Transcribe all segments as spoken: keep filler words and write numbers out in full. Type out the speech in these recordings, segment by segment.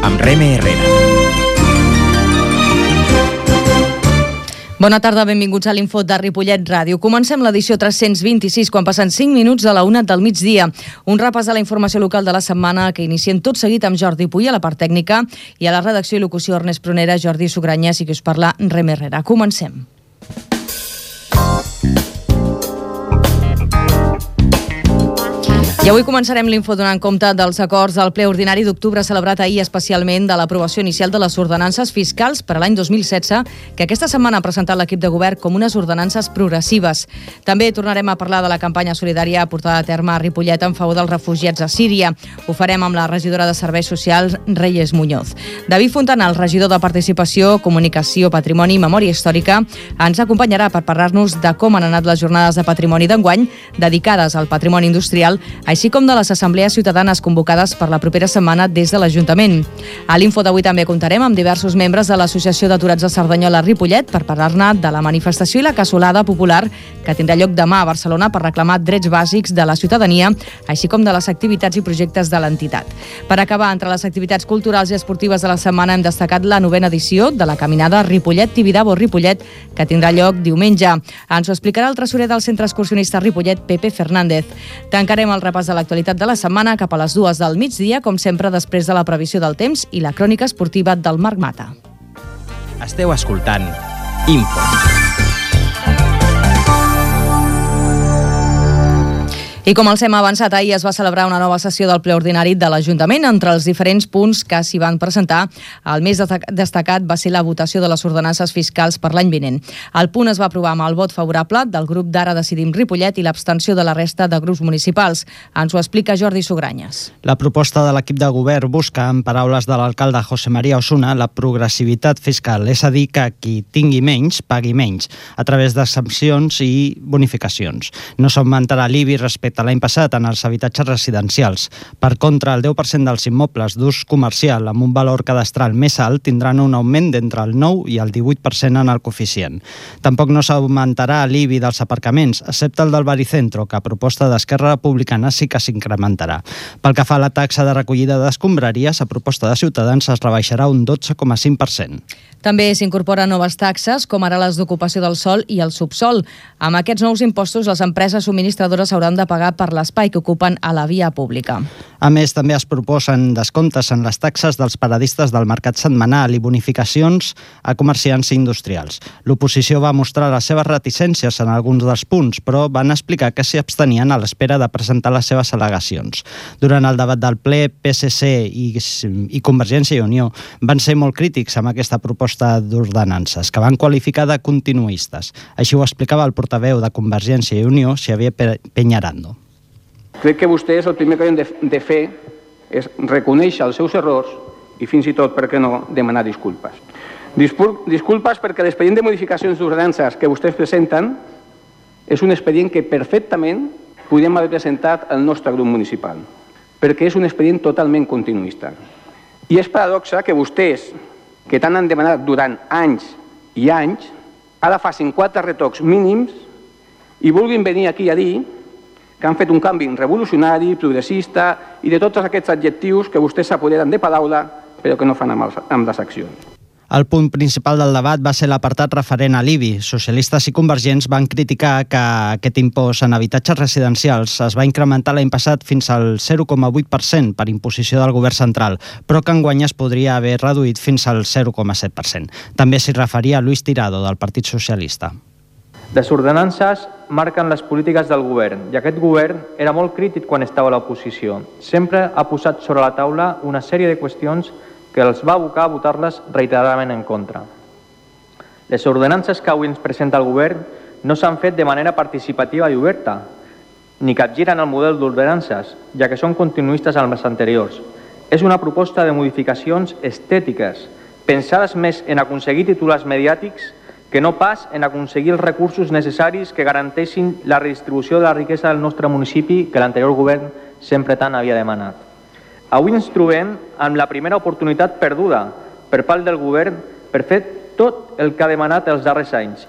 amb Reme Herrera. Bona tarda, benvinguts a l'Info de Ripollet Ràdio. Comencem l'edició tres-cents vint-i-sis, quan passen cinc minuts de la una del migdia. Un repàs de la informació local de la setmana que iniciem tot seguit amb Jordi Puy a la part tècnica i a la redacció i locució Ernest Prunera, Jordi Sugranyes i qui us parla, Reme Herrera. Comencem. I avui començarem l'Info donant compte dels acords del ple ordinari d'octubre celebrat ahir, especialment de l'aprovació inicial de les ordenances fiscals per a l'any dos mil setze, que aquesta setmana ha presentat l'equip de govern com unes ordenances progressives. També tornarem a parlar de la campanya solidària portada a terme a Ripollet en favor dels refugiats a Síria. Ho farem amb la regidora de Serveis Socials, Reyes Muñoz. David Fontana, el regidor de Participació, Comunicació, Patrimoni i Memòria Històrica, ens acompanyarà per parlar-nos de com han anat les jornades de patrimoni d'enguany dedicades al patrimoni industrial, així com de les assemblees ciutadanes convocades per la propera setmana des de l'Ajuntament. A l'Info d'avui també comptarem amb diversos membres de l'Associació d'Aturats de Cerdanyola Ripollet per parlar-ne de la manifestació i la cassolada popular que tindrà lloc demà a Barcelona per reclamar drets bàsics de la ciutadania, així com de les activitats i projectes de l'entitat. Per acabar, entre les activitats culturals i esportives de la setmana hem destacat la novena edició de la caminada Ripollet-Tibidabo-Ripollet, que tindrà lloc diumenge. Ens ho explicarà el tresorer del Centre Excursionista Ripollet, Pepe Fernández. Tancarem el repàs de l'actualitat de la setmana cap a les dues del migdia, com sempre després de la previsió del temps i la crònica esportiva del Marc Mata. Esteu escoltant Info. I com els hem avançat, ahir es va celebrar una nova sessió del ple ordinari de l'Ajuntament. Entre els diferents punts que s'hi van presentar, el més destacat va ser la votació de les ordenances fiscals per l'any vinent. El punt es va aprovar amb el vot favorable del grup d'Ara Decidim Ripollet i l'abstenció de la resta de grups municipals. Ens ho explica Jordi Sugranyes. La proposta de l'equip de govern busca, en paraules de l'alcalde José María Osuna, la progressivitat fiscal, és a dir, que qui tingui menys, pagui menys, a través d'exempcions i bonificacions. No s'augmentarà l'I B I respecte a l'any passat en els habitatges residencials. Per contra, el deu per cent dels immobles d'ús comercial amb un valor cadastral més alt tindran un augment d'entre el nou i el divuit per cent en el coeficient. Tampoc no s'augmentarà l'I B I dels aparcaments, excepte el del Baricentro, que a proposta d'Esquerra Republicana sí que s'incrementarà. Pel que fa a la taxa de recollida d'escombraries, a proposta de Ciutadans es rebaixarà un dotze coma cinc per cent. També s'incorporen noves taxes, com ara les d'ocupació del sòl i el subsòl. Amb aquests nous impostos, les empreses subministradores hauran de pagar per l'espai que ocupen a la via pública. A més, també es proposen descomptes en les taxes dels paradistes del mercat setmanal i bonificacions a comerciants i industrials. L'oposició va mostrar les seves reticències en alguns dels punts, però van explicar que s'hi abstenien a l'espera de presentar les seves al·legacions. Durant el debat del ple, P S C i, i Convergència i Unió van ser molt crítics amb aquesta proposta d'ordenances, que van qualificar de continuistes. Així ho explicava el portaveu de Convergència i Unió, Xavier Peñarando. Crec que vostès el primer que han de, de fer és reconèixer els seus errors i fins i tot, per què no, demanar disculpes. Discul disculpes perquè l'expedient de modificacions d'ordenances que vostès presenten és un expedient que perfectament podríem haver presentat al nostre grup municipal, perquè és un expedient totalment continuista. I és paradoxa que vostès, que tant han demanat durant anys i anys, ara facin quatre retocs mínims i vulguin venir aquí a dir que han fet un canvi revolucionari, progressista i de tots aquests adjectius que vostès s'apoderen de paraula però que no fan amb, els, amb les accions. El punt principal del debat va ser l'apartat referent a l'I B I. Socialistes i convergents van criticar que aquest impost en habitatges residencials es va incrementar l'any passat fins al zero coma vuit per cent per imposició del govern central, però que enguany es podria haver reduït fins al zero coma set per cent. També s'hi referia Luis Tirado, del Partit Socialista. Les ordenances marquen les polítiques del govern i aquest govern era molt crític quan estava a l'oposició. Sempre ha posat sobre la taula una sèrie de qüestions que els va abocar a votar-les reiteradament en contra. Les ordenances que avui ens presenta el govern no s'han fet de manera participativa i oberta, ni capgiren el model d'ordenances, ja que són continuistes amb les anteriors. És una proposta de modificacions estètiques, pensades més en aconseguir titulars mediàtics que no pas en aconseguir els recursos necessaris que garanteixin la redistribució de la riquesa del nostre municipi que l'anterior govern sempre tant havia demanat. Avui ens trobem amb la primera oportunitat perduda per part del govern per fer tot el que ha demanat els darrers anys.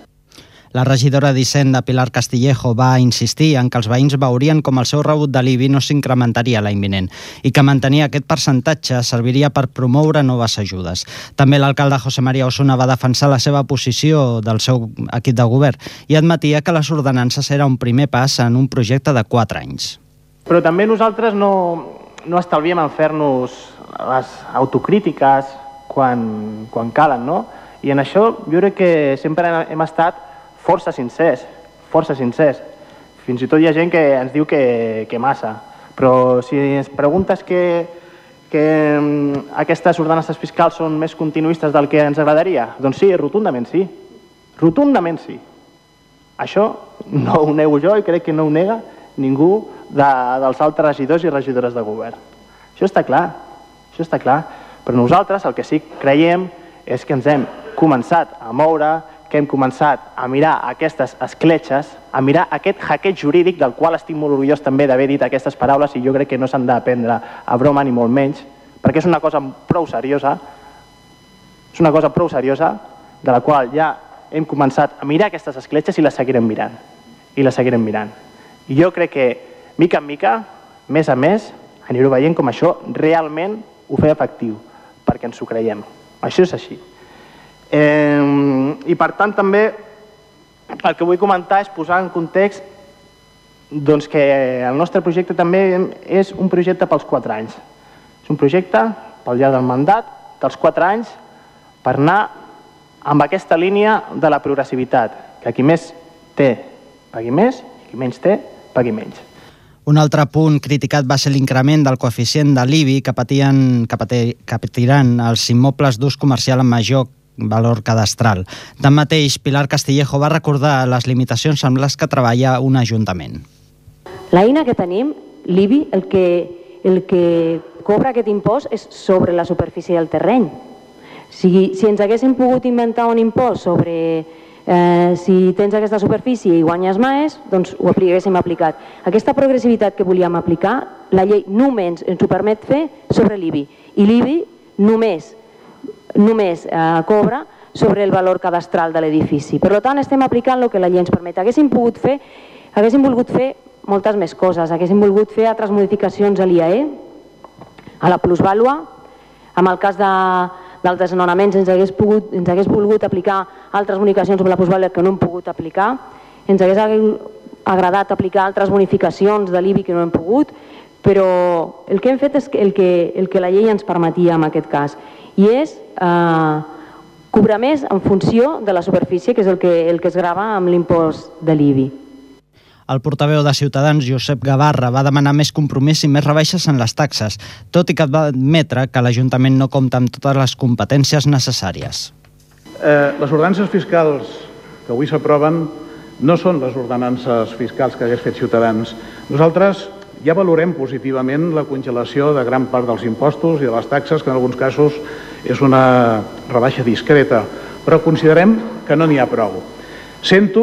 La regidora d'Hisenda, Pilar Castillejo, va insistir en que els veïns veurien com el seu rebut de l'I B I no s'incrementaria l'any vinent i que mantenir aquest percentatge serviria per promoure noves ajudes. També l'alcalde José María Osuna va defensar la seva posició del seu equip de govern i admetia que les ordenances era un primer pas en un projecte de quatre anys. Però també nosaltres no, no estalviem en fer-nos les autocrítiques quan, quan calen, no? I en això jo crec que sempre hem estat força sincers, força sincers. Fins i tot hi ha gent que ens diu que, que massa. Però si ens preguntes que, que aquestes ordenances fiscals són més continuistes del que ens agradaria, doncs sí, rotundament sí. Rotundament sí. Això no ho nego jo i crec que no ho nega ningú de, dels altres regidors i regidores de govern. Això està clar, això està clar. Però nosaltres el que sí que creiem és que ens hem començat a moure, que hem començat a mirar aquestes escletxes, a mirar aquest hackeig jurídic del qual estic molt orgullós també d'haver dit aquestes paraules i jo crec que no s'han de prendre a broma ni molt menys, perquè és una cosa prou seriosa, és una cosa prou seriosa de la qual ja hem començat a mirar aquestes escletxes i les seguirem mirant, i les seguirem mirant. I jo crec que, mica en mica, més a més, anireu veient com això realment ho fa efectiu, perquè ens ho creiem. Això és així. Eh, I per tant també el que vull comentar és posar en context doncs, que el nostre projecte també és un projecte pels quatre anys. És un projecte pel llarg del mandat, dels quatre anys, per anar amb aquesta línia de la progressivitat, que qui més té pagui més i qui menys té pagui menys. Un altre punt criticat va ser l'increment del coeficient de l'I B I que, patien, que, patir, que patiran els immobles d'ús comercial amb major valor cadastral. Tanmateix, Pilar Castillejo va recordar les limitacions amb les que treballa un ajuntament. L'eina que tenim, l'I B I, el que, el que cobra aquest impost és sobre la superfície del terreny. Si, si ens haguéssim pogut inventar un impost sobre eh, si tens aquesta superfície i guanyes més, doncs ho haguéssim aplicat. Aquesta progressivitat que volíem aplicar, la llei només ens ho permet fer sobre l'I B I. I l'I B I només només eh, cobra sobre el valor cadastral de l'edifici. Per tant, estem aplicant el que la llei ens permet. Haguéssim pogut fer, haguéssim volgut fer moltes més coses. Haguéssim volgut fer altres modificacions a l'I A E, a la plusvàlua. En el cas de, dels desnonaments ens hagués, pogut, ens hagués volgut aplicar altres bonificacions sobre la plusvàlua que no hem pogut aplicar. Ens hagués agradat aplicar altres bonificacions de l'I B I que no hem pogut, però el que hem fet és el que, el que la llei ens permetia en aquest cas. I és eh, cobrar més en funció de la superfície, que és el que, el que es grava amb l'impost de l'I B I. El portaveu de Ciutadans, Josep Gavarra, va demanar més compromís i més rebaixes en les taxes, tot i que va admetre que l'Ajuntament no compta amb totes les competències necessàries. Eh, les ordenances fiscals que avui s'aproven no són les ordenances fiscals que hagués fet Ciutadans. Nosaltres ja valorem positivament la congelació de gran part dels impostos i de les taxes, que en alguns casos és una rebaixa discreta, però considerem que no n'hi ha prou. Sento,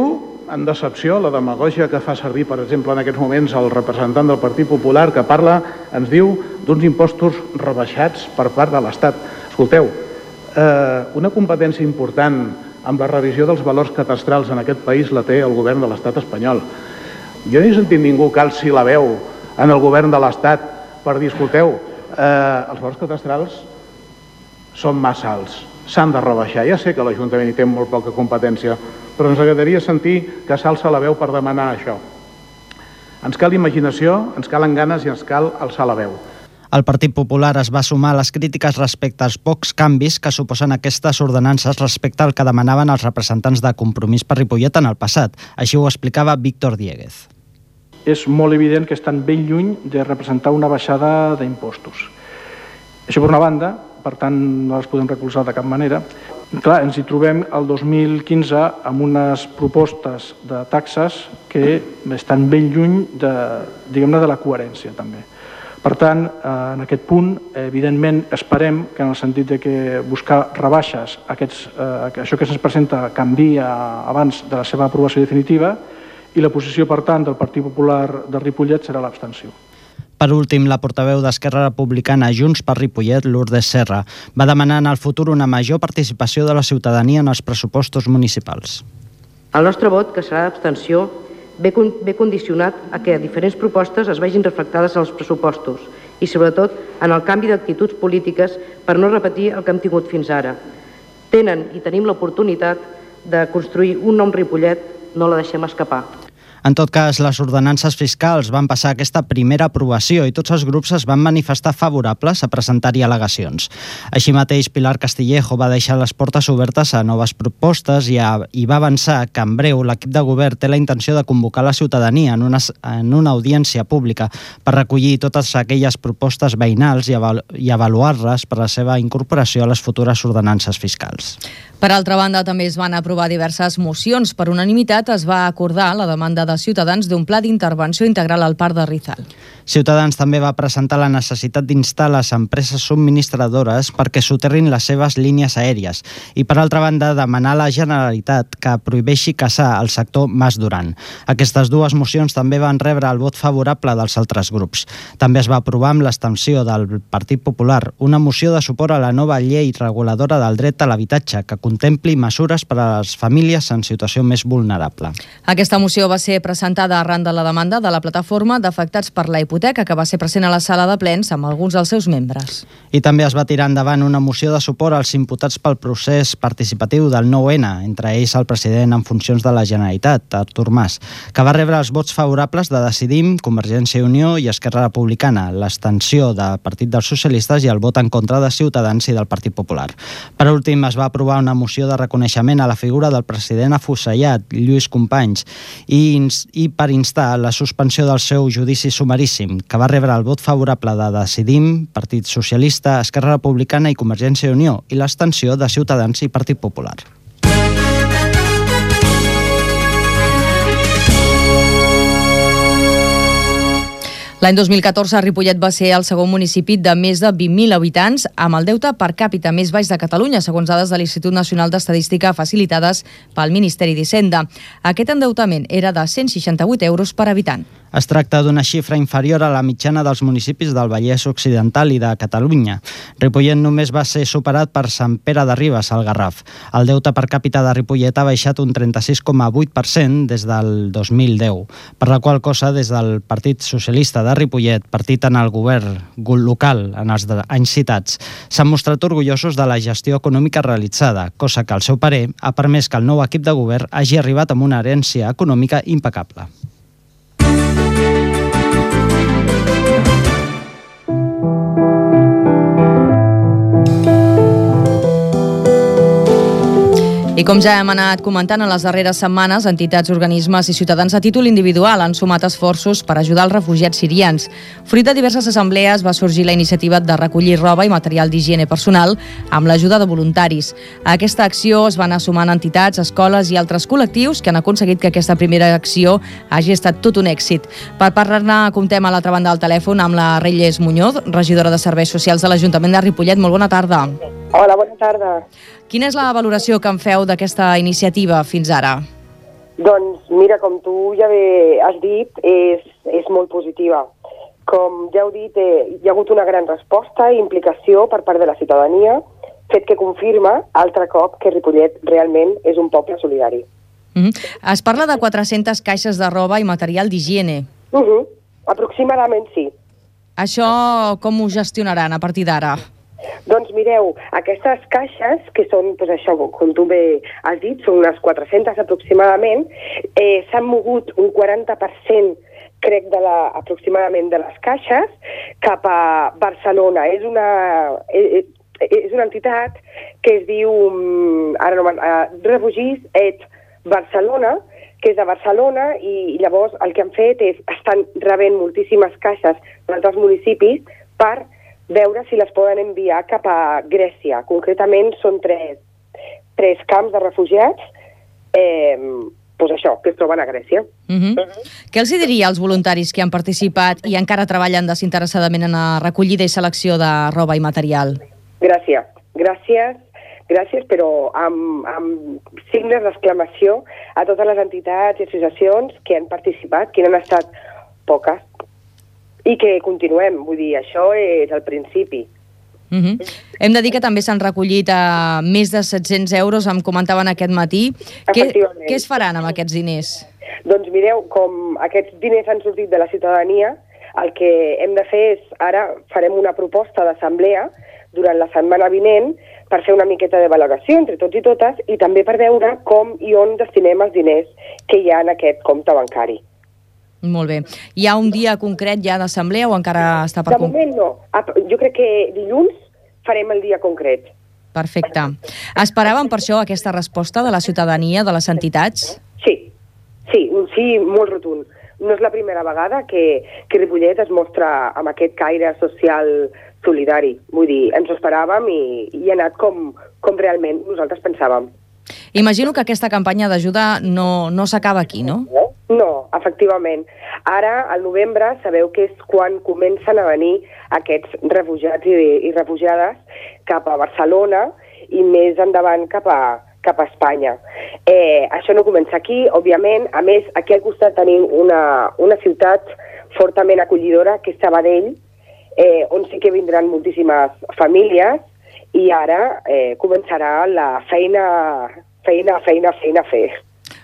en decepció, la demagògia que fa servir, per exemple, en aquests moments el representant del Partit Popular, que parla, ens diu, d'uns impostos rebaixats per part de l'Estat. Escolteu, eh, una competència important amb la revisió dels valors cadastrals en aquest país la té el govern de l'Estat espanyol. Jo no he sentit ningú que alci la veu en el govern de l'Estat per dir, escolteu, eh, els valors cadastrals són massa alts, s'han de rebaixar. Ja sé que l'Ajuntament hi té molt poca competència, però ens agradaria sentir que s'alça la veu per demanar això. Ens cal imaginació, ens calen ganes i ens cal alçar la veu. El Partit Popular es va sumar a les crítiques respecte als pocs canvis que suposen aquestes ordenances respecte al que demanaven els representants de Compromís per Ripollet en el passat. Així ho explicava Víctor Dieguez. És molt evident que estan ben lluny de representar una baixada d'impostos. Això per una banda, per tant no les podem recolzar de cap manera. Clar, ens hi trobem el dos mil quinze amb unes propostes de taxes que estan ben lluny de, diguem-ne, de la coherència també. Per tant, en aquest punt, evidentment, esperem que en el sentit de que buscar rebaixes, aquests, eh, això que se'ns presenta canvia abans de la seva aprovació definitiva, i la posició, per tant, del Partit Popular de Ripollet serà l'abstenció. Per últim, la portaveu d'Esquerra Republicana Junts per Ripollet, Lourdes Serra, va demanar en el futur una major participació de la ciutadania en els pressupostos municipals. El nostre vot, que serà d'abstenció, ve, con ve condicionat a que diferents propostes es vegin reflectades als pressupostos i, sobretot, en el canvi d'actituds polítiques per no repetir el que hem tingut fins ara. Tenen i tenim l'oportunitat de construir un nou Ripollet, no la deixem escapar. En tot cas, les ordenances fiscals van passar aquesta primera aprovació i tots els grups es van manifestar favorables a presentar-hi al·legacions. Així mateix, Pilar Castillejo va deixar les portes obertes a noves propostes i, a, i va avançar que en breu l'equip de govern té la intenció de convocar la ciutadania en una, en una audiència pública per recollir totes aquelles propostes veïnals i, avalu i avaluar-les per la seva incorporació a les futures ordenances fiscals. Per altra banda, també es van aprovar diverses mocions. Per unanimitat es va acordar la demanda de Ciutadans d'un pla d'intervenció integral al Parc de Rizal. Ciutadans també va presentar la necessitat d'instar les empreses subministradores perquè soterrin les seves línies aèries i, per altra banda, demanar a la Generalitat que prohibeixi caçar el sector Mas Duran. Aquestes dues mocions també van rebre el vot favorable dels altres grups. També es va aprovar amb l'extensió del Partit Popular una moció de suport a la nova llei reguladora del dret a l'habitatge que contempli mesures per a les famílies en situació més vulnerable. Aquesta moció va ser presentada arran de la demanda de la plataforma d'afectats per la hipoteca, que va ser present a la sala de plens amb alguns dels seus membres. I també es va tirar endavant una moció de suport als imputats pel procés participatiu del nou ene, entre ells el president en funcions de la Generalitat, Artur Mas, que va rebre els vots favorables de Decidim, Convergència i Unió i Esquerra Republicana, l'abstenció del Partit dels Socialistes i el vot en contra de Ciutadans i del Partit Popular. Per últim, es va aprovar una moció de reconeixement a la figura del president afusellat, Lluís Companys, i, i per instar la suspensió del seu judici sumaríssim, que va rebre el vot favorable de Decidim, Partit Socialista, Esquerra Republicana i Convergència i Unió, i l'abstenció de Ciutadans i Partit Popular. L'any dos mil catorze, Ripollet va ser el segon municipi de més de vint mil habitants amb el deute per càpita més baix de Catalunya, segons dades de l'Institut Nacional d'Estadística facilitades pel Ministeri d'Hisenda. Aquest endeutament era de cent seixanta-vuit euros per habitant. Es tracta d'una xifra inferior a la mitjana dels municipis del Vallès Occidental i de Catalunya. Ripollet només va ser superat per Sant Pere de Ribes, al Garraf. El deute per càpita de Ripollet ha baixat un trenta-sis coma vuit per cent des del dos mil deu, per la qual cosa des del Partit Socialista de Ripollet, partit en el govern local en els anys citats, s'han mostrat orgullosos de la gestió econòmica realitzada, cosa que, al seu parer, ha permès que el nou equip de govern hagi arribat amb una herència econòmica impecable. I com ja hem anat comentant en les darreres setmanes, entitats, organismes i ciutadans a títol individual han sumat esforços per ajudar els refugiats sirians. Fruit de diverses assemblees va sorgir la iniciativa de recollir roba i material d'higiene personal amb l'ajuda de voluntaris. A aquesta acció es van sumant entitats, escoles i altres col·lectius que han aconseguit que aquesta primera acció hagi estat tot un èxit. Per parlar-ne, comptem a l'altra banda del telèfon amb la Reyes Muñoz, regidora de Serveis Socials de l'Ajuntament de Ripollet. Molt bona tarda. Hola, bona tarda. Quina és la valoració que en feu d'aquesta iniciativa fins ara? Doncs mira, com tu ja bé has dit, és, és molt positiva. Com ja heu dit, eh, hi ha hagut una gran resposta i implicació per part de la ciutadania, fet que confirma altre cop que Ripollet realment és un poble solidari. Mm-hmm. Es parla de quatre-centes caixes de roba i material d'higiene. Uh-huh. Aproximadament sí. Això com ho gestionaran a partir d'ara? Doncs mireu, aquestes caixes, que són, doncs això, com tu bé has dit, són unes quatre-centes aproximadament, eh, s'han mogut un quaranta per cent, crec, de la, aproximadament de les caixes cap a Barcelona. És una, eh, és una entitat que es diu, ara no me'n... Uh, Refugis et Barcelona, que és de Barcelona, i, i llavors el que han fet és, estan rebent moltíssimes caixes d'altres municipis per veure si les poden enviar cap a Grècia. Concretament són tres, tres camps de refugiats eh, doncs això, que es troben a Grècia. Uh-huh. Uh-huh. Què els diria als voluntaris que han participat i encara treballen desinteressadament en la recollida i selecció de roba i material? Gràcies. Gràcies, gràcies, però amb, amb signes d'exclamació a totes les entitats i associacions que han participat, que han estat poques, i que continuem, vull dir, això és el principi. Uh-huh. Hem de dir que també s'han recollit uh, més de set-cents euros, em comentaven aquest matí. Què, què es faran amb aquests diners? Doncs mireu, com aquests diners han sortit de la ciutadania, el que hem de fer és, ara farem una proposta d'assemblea durant la setmana vinent per fer una miqueta de valoració entre tots i totes i també per veure com i on destinem els diners que hi ha en aquest compte bancari. Molt bé. Hi ha un dia concret ja d'assemblea o encara està per... De moment no. Jo crec que dilluns farem el dia concret. Perfecte. Esperàvem per això aquesta resposta de la ciutadania, de les entitats? Sí, sí, un sí molt rotund. No és la primera vegada que, que Ripollet es mostra amb aquest caire social solidari. Vull dir, ens ho esperàvem i, i ha anat com, com realment nosaltres pensàvem. Imagino que aquesta campanya d'ajuda no, no s'acaba aquí, no? No, efectivament. Ara, al novembre, sabeu que és quan comencen a venir aquests refugiats i, i refugiades cap a Barcelona i més endavant cap a, cap a Espanya. Eh, això no comença aquí, òbviament. A més, aquí al costat tenim una, una ciutat fortament acollidora, que és Sabadell, eh, on sí que vindran moltíssimes famílies i ara eh, començarà la feina, feina, feina, feina a fer.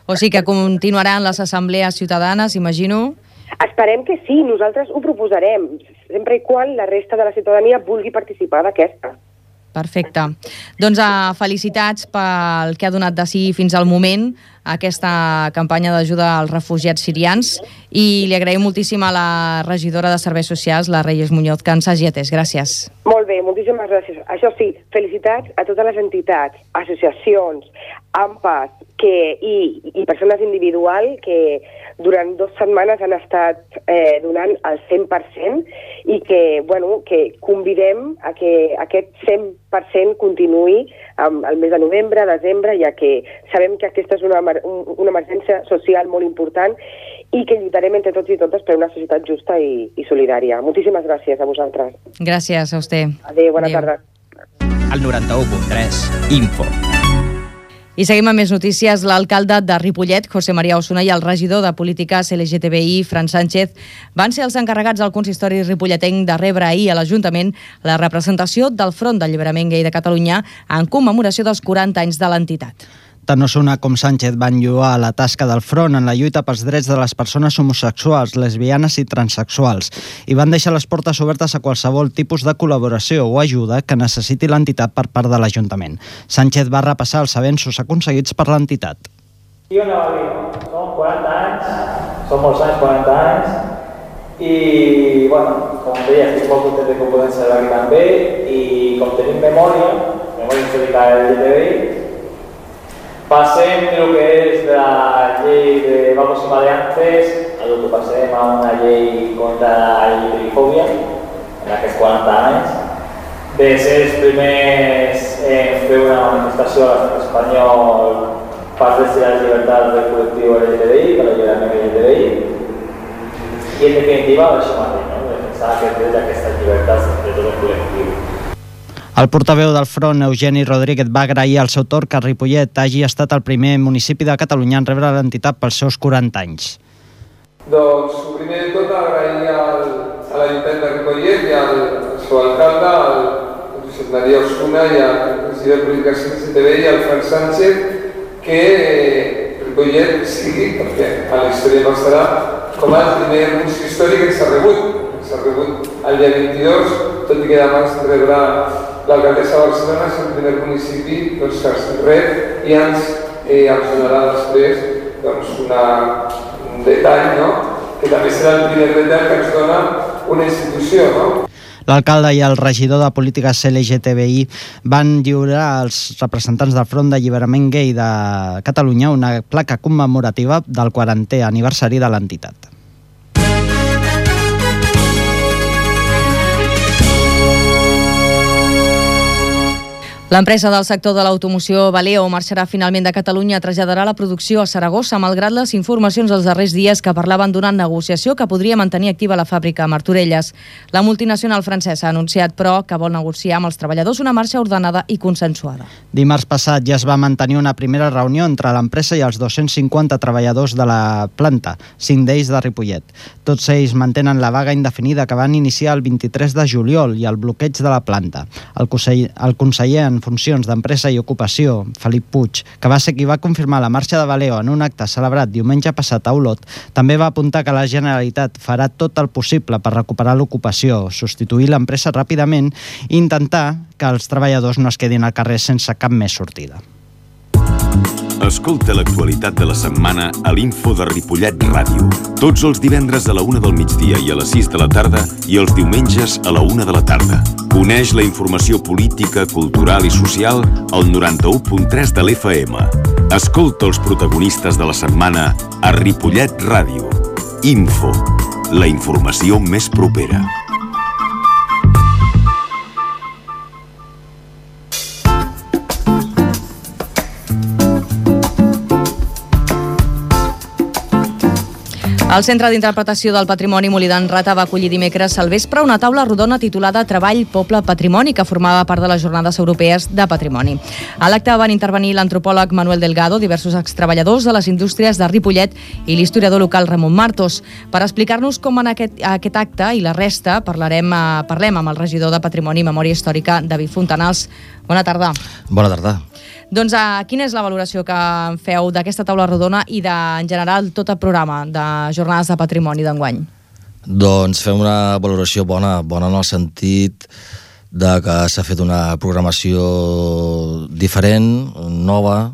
O sigui que continuaran les assemblees ciutadanes, imagino? Esperem que sí, nosaltres ho proposarem, sempre i quan la resta de la ciutadania vulgui participar d'aquesta. Perfecte. Doncs uh, felicitats pel que ha donat de si fins al moment aquesta campanya d'ajuda als refugiats sirians i li agraïm moltíssim a la regidora de Serveis Socials, la Reyes Muñoz, que ens hagi atès. Gràcies. Molt bé, moltíssimes gràcies. Això sí, felicitats a totes les entitats, associacions, A M P A S que, i, i persones individuals que durant dues setmanes han estat eh, donant el cent per cent i que, bueno, que convidem a que aquest cent per cent continuï um, el mes de novembre, desembre, ja que sabem que aquesta és una, una emergència social molt important i que lluitarem entre tots i totes per una societat justa i, i solidària. Moltíssimes gràcies a vosaltres. Gràcies a vostè. Adéu, bona Adéu. tarda. El noranta-u punt tres, Info. I seguim amb més notícies. L'alcalde de Ripollet, José María Osuna, i el regidor de Polítiques L G T B I, Fran Sánchez, van ser els encarregats del consistori ripolletenc de rebre ahir a l'Ajuntament la representació del Front d'Alliberament Gai de Catalunya en commemoració dels quaranta anys de l'entitat. Tant Osuna com Sánchez van lloar la tasca del front en la lluita pels drets de les persones homosexuals, lesbianes i transsexuals i van deixar les portes obertes a qualsevol tipus de col·laboració o ajuda que necessiti l'entitat per part de l'Ajuntament. Sánchez va repassar els avenços aconseguits per l'entitat. I on va dir? Són quaranta anys, són molts anys, quaranta anys, i, bueno, com deia, estic molt content que ho podem celebrar aquí també, i com tenim memòria, memòria històrica del L G T B I, passem del que és de la llei de vamos y maleantes a lo que passem a una llei contra la L G T B I-fòbia en aquests quaranta anys, de ser els primers en fer una manifestació a l'estat espanyol per drets i les llibertats del col·lectiu L G T B I, per l'alliberament L G T B I, i en definitiva això mateix, no? Defensar aquests drets i aquestes llibertats de tot el col·lectiu. El portaveu del Front, Eugeni Rodríguez, va agrair al seu torn que Ripollet hagi estat el primer municipi de Catalunya en rebre l'entitat pels seus quaranta anys. Doncs, primer de tot, agrair al, a l'Ajuntament de Ripollet i al seu alcalde, al Josep María Osuna i al president de Polítiques L G T B I, al Fran Sánchez, que Ripollet sigui, perquè a la història passarà, com el primer municipi històric que s'ha rebut. S'ha rebut el dia vint-i-dos, tot i que demà es rebrà l'alcaldessa de Barcelona, és el primer municipi doncs, que es rep i ens, eh, ens donarà després doncs, una, un detall, no? Que també serà el primer detall que ens dona una institució. No? L'alcalde i el regidor de Polítiques L G T B I van lliurar als representants del Front d'Alliberament Gai de Catalunya una placa commemorativa del quarantè aniversari de l'entitat. L'empresa del sector de l'automoció Valeo marxarà finalment de Catalunya, traslladarà la producció a Saragossa, malgrat les informacions dels darrers dies que parlaven d'una negociació que podria mantenir activa la fàbrica a Martorelles. La multinacional francesa ha anunciat, però, que vol negociar amb els treballadors una marxa ordenada i consensuada. Dimarts passat ja es va mantenir una primera reunió entre l'empresa i els dos-cents cinquanta treballadors de la planta, cinc d'ells de Ripollet. Tots ells mantenen la vaga indefinida que van iniciar el vint-i-tres de juliol i el bloqueig de la planta. El conseller, el conseller en funcions d'Empresa i Ocupació, Felip Puig, que va ser qui va confirmar la marxa de Valeo en un acte celebrat diumenge passat a Olot, també va apuntar que la Generalitat farà tot el possible per recuperar l'ocupació, substituir l'empresa ràpidament i intentar que els treballadors no es quedin al carrer sense cap més sortida. Escolta l'actualitat de la setmana a l'Info de Ripollet Ràdio. Tots els divendres a la una del migdia i a les sis de la tarda i els diumenges a la una de la tarda. Coneix la informació política, cultural i social al noranta-u punt tres de l'F M. Escolta els protagonistes de la setmana a Ripollet Ràdio. Info, la informació més propera. El Centre d'Interpretació del Patrimoni Molí d'en Rata va acollir dimecres al vespre una taula rodona titulada Treball, Poble, Patrimoni, que formava part de les Jornades Europees de Patrimoni. A l'acte van intervenir l'antropòleg Manuel Delgado, diversos extreballadors de les indústries de Ripollet i l'historiador local Ramon Martos. Per explicar-nos com en aquest, aquest acte i la resta parlarem, eh, parlem amb el regidor de Patrimoni i Memòria Històrica, David Fontanals. Bona tarda. Bona tarda. Doncs uh, quina és la valoració que feu d'aquesta taula rodona i de, en general, tot el programa de Jornades de Patrimoni d'enguany? Doncs fem una valoració bona, bona en el sentit de que s'ha fet una programació diferent, nova,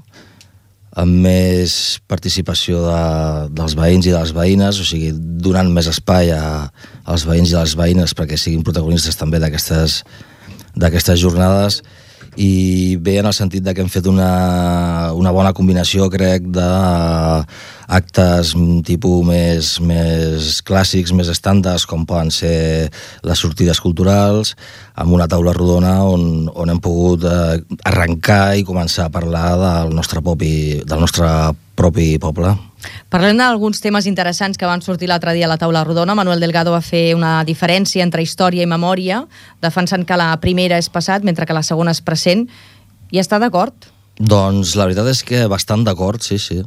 amb més participació de, dels veïns i de les veïnes, o sigui, donant més espai a, als veïns i a les veïnes perquè siguin protagonistes també d'aquestes d'aquestes jornades, i bé en el sentit de que hem fet una, una bona combinació, crec, d'actes tipus més, més clàssics, més estàndards, com poden ser les sortides culturals, amb una taula rodona on, on hem pogut eh, arrencar i començar a parlar del nostre propi, del nostre propi poble. Parlem d'alguns temes interessants que van sortir l'altre dia a la taula rodona. Manuel Delgado va fer una diferència entre història i memòria, defensant que la primera és passat mentre que la segona és present. I està d'acord? Doncs la veritat és que bastant d'acord, sí, sí.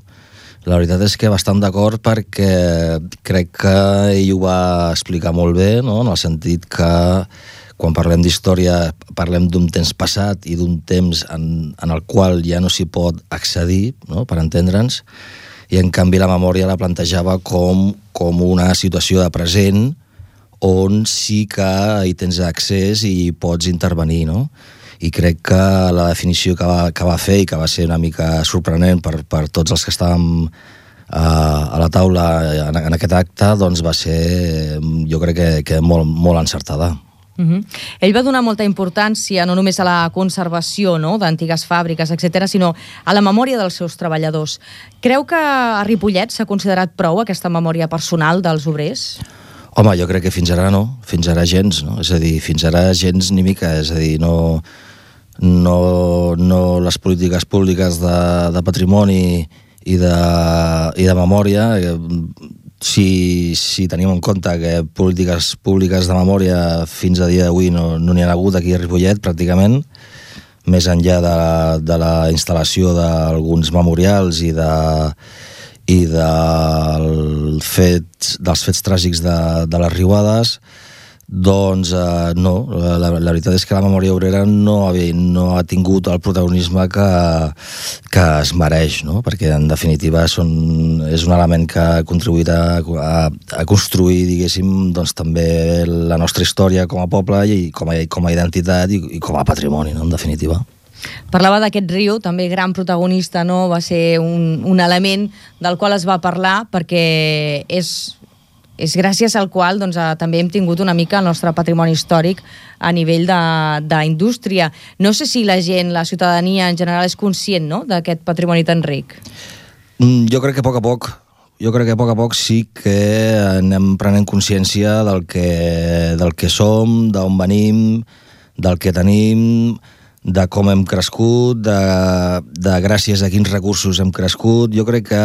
La veritat és que bastant d'acord perquè crec que ell ho va explicar molt bé, no? En el sentit que quan parlem d'història parlem d'un temps passat i d'un temps en, en el qual ja no s'hi pot accedir, no? Per entendre'ns, i en canvi la memòria la plantejava com, com una situació de present on sí que hi tens accés i pots intervenir, no? I crec que la definició que va, que va fer i que va ser una mica sorprenent per, per tots els que estàvem uh, a la taula en, en aquest acte, doncs va ser, jo crec que, que molt, molt encertada. Uh-huh. Ell va donar molta importància no només a la conservació, no?, d'antigues fàbriques, etcètera, sinó a la memòria dels seus treballadors. Creu que a Ripollet s'ha considerat prou aquesta memòria personal dels obrers? Home, jo crec que fins ara no, fins ara gens, no? És a dir, fins ara gens ni mica, és a dir, no, no, no les polítiques públiques de, de patrimoni i de, i de memòria. Si, si tenim en compte que polítiques públiques de memòria fins a dia d'avui no n'hi ha hagut aquí a Ripollet, pràcticament, més enllà de, de la instal·lació d'alguns memorials i de i del fet, dels fets tràgics de, de les riuades, doncs eh, no, la, la veritat és que la memòria obrera no ha, no ha tingut el protagonisme que, que es mereix, no? Perquè en definitiva són, és un element que ha contribuït a, a, a construir, diguéssim, doncs, també la nostra història com a poble i com a, com a identitat i, i com a patrimoni, no? En definitiva. Parlava d'aquest riu, també gran protagonista, no? Va ser un, un element del qual es va parlar perquè és, és gràcies al qual doncs, també hem tingut una mica el nostre patrimoni històric a nivell d'indústria. No sé si la gent, la ciutadania en general és conscient, no?, d'aquest patrimoni tan ric. Jo crec que a poc a poc jo crec que a poc a poc sí que anem prenent consciència del que, del que som, d'on venim, del que tenim, de com hem crescut, de, de gràcies a quins recursos hem crescut. Jo crec que,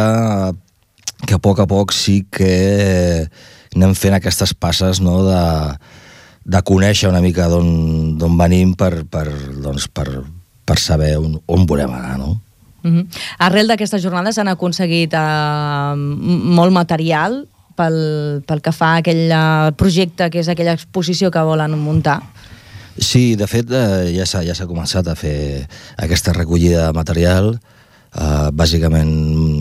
que a poc a poc sí que anem fent aquestes passes, no?, de, de conèixer una mica d'on venim per, per, doncs, per, per saber on, on volem anar, no? Uh-huh. Arrel d'aquestes jornades han aconseguit uh, molt material pel, pel que fa a aquell projecte que és aquella exposició que volen muntar. Sí, de fet eh, ja s'ha ja s'ha començat a fer aquesta recollida de material, eh, bàsicament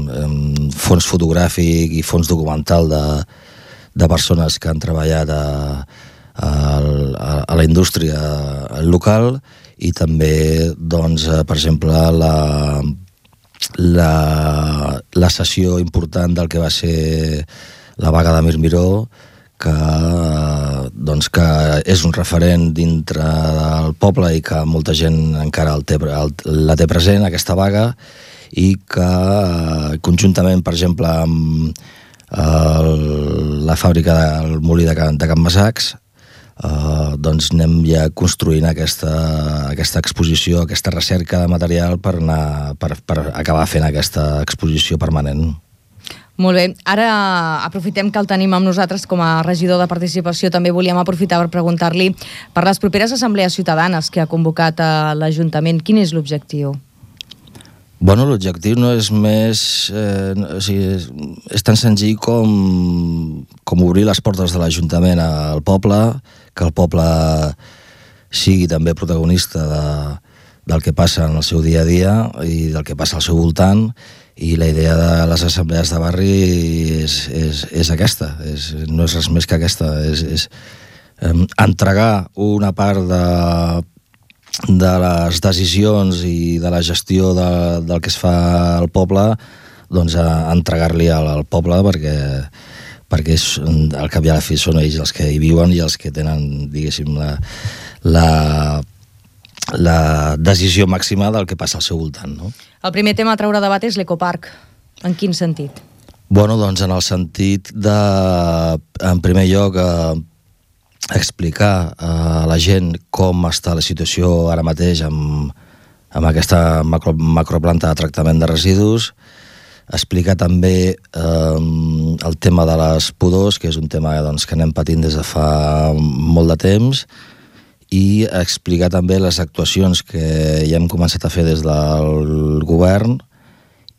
eh, fons fotogràfic i fons documental de, de persones que han treballat a, a, a la indústria local, i també, doncs, per exemple, la, la, la sessió important del que va ser la vaga de Mir Miró, que, doncs, que és un referent dintre del poble i que molta gent encara el té, el, la té present, aquesta vaga, i que conjuntament, per exemple, amb el, la fàbrica del molí de Can, de Can Masacs, Uh, doncs anem ja construint aquesta, aquesta exposició, aquesta recerca de material per, anar, per, per acabar fent aquesta exposició permanent. Molt bé. Ara aprofitem que el tenim amb nosaltres com a regidor de participació. També volíem aprofitar per preguntar-li per les properes assemblees ciutadanes que ha convocat a l'Ajuntament. Quin és l'objectiu? Bueno, l'objectiu no és més... Eh, o sigui, és, és tan senzill com, com obrir les portes de l'Ajuntament al poble, que el poble sigui també protagonista de, del que passa en el seu dia a dia i del que passa al seu voltant, i la idea de les assemblees de barri és, és, és aquesta, és, no és res més que aquesta, és, és eh, entregar una part de... de les decisions i de la gestió de, del que es fa al poble, doncs a entregar-li al, al poble, perquè, perquè és, al cap i a la fi són ells els que hi viuen i els que tenen, diguéssim, la, la, la decisió màxima del que passa al seu voltant, no? El primer tema a treure debat és l'ecoparc. En quin sentit? Bueno, doncs en el sentit de, en primer lloc, eh, explicar a la gent com està la situació ara mateix amb, amb aquesta macro, macroplanta de tractament de residus, explicar també eh, el tema de les pudors, que és un tema, doncs, que anem patint des de fa molt de temps, i explicar també les actuacions que ja hem començat a fer des del govern,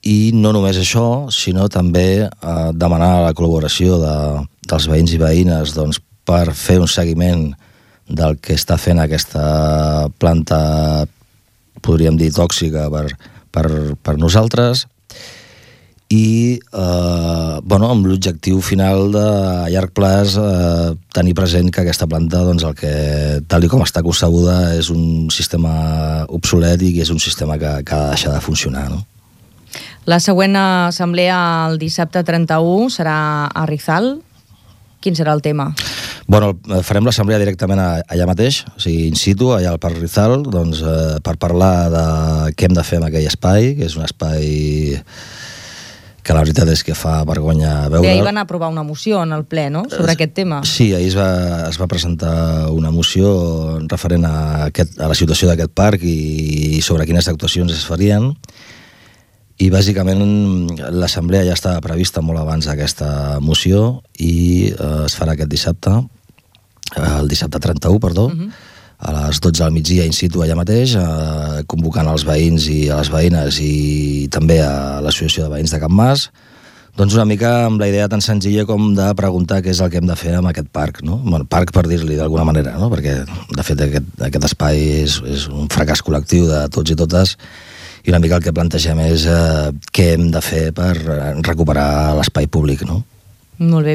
i no només això, sinó també eh, demanar la col·laboració de, dels veïns i veïnes, doncs, per fer un seguiment del que està fent aquesta planta, podríem dir, tòxica per, per, per nosaltres, i eh, bueno, amb l'objectiu final de a llarg plaç eh, tenir present que aquesta planta, doncs, el que, tal com està concebuda, és un sistema obsolet i que és un sistema que, que ha de deixar de funcionar, no? La següent assemblea el dissabte trenta-u serà a Rizal. Quin serà el tema? Bueno, farem l'assemblea directament allà mateix, o sigui, in situ, allà al Parc Rizal, doncs, eh, per parlar de què hem de fer amb aquell espai, que és un espai que la veritat és que fa vergonya veure. Bé, ahir van aprovar una moció en el ple, no?, sobre aquest tema. Sí, ahir es va, es va presentar una moció referent a, aquest, a la situació d'aquest parc i, i sobre quines actuacions es farien. I bàsicament l'assemblea ja estava prevista molt abans d'aquesta moció i eh, es farà aquest dissabte, el dissabte trenta-u, perdó, uh-huh. a les dotze del migdia in situ allà mateix, eh, convocant els veïns i a les veïnes i també a l'Associació de Veïns de Can Mas, doncs una mica amb la idea tan senzilla com de preguntar què és el que hem de fer amb aquest parc, no? Bueno, parc per dir-li d'alguna manera, no? Perquè de fet aquest, aquest espai és, és un fracàs col·lectiu de tots i totes, i una mica el que plantegem és eh, què hem de fer per recuperar l'espai públic, no? Molt bé.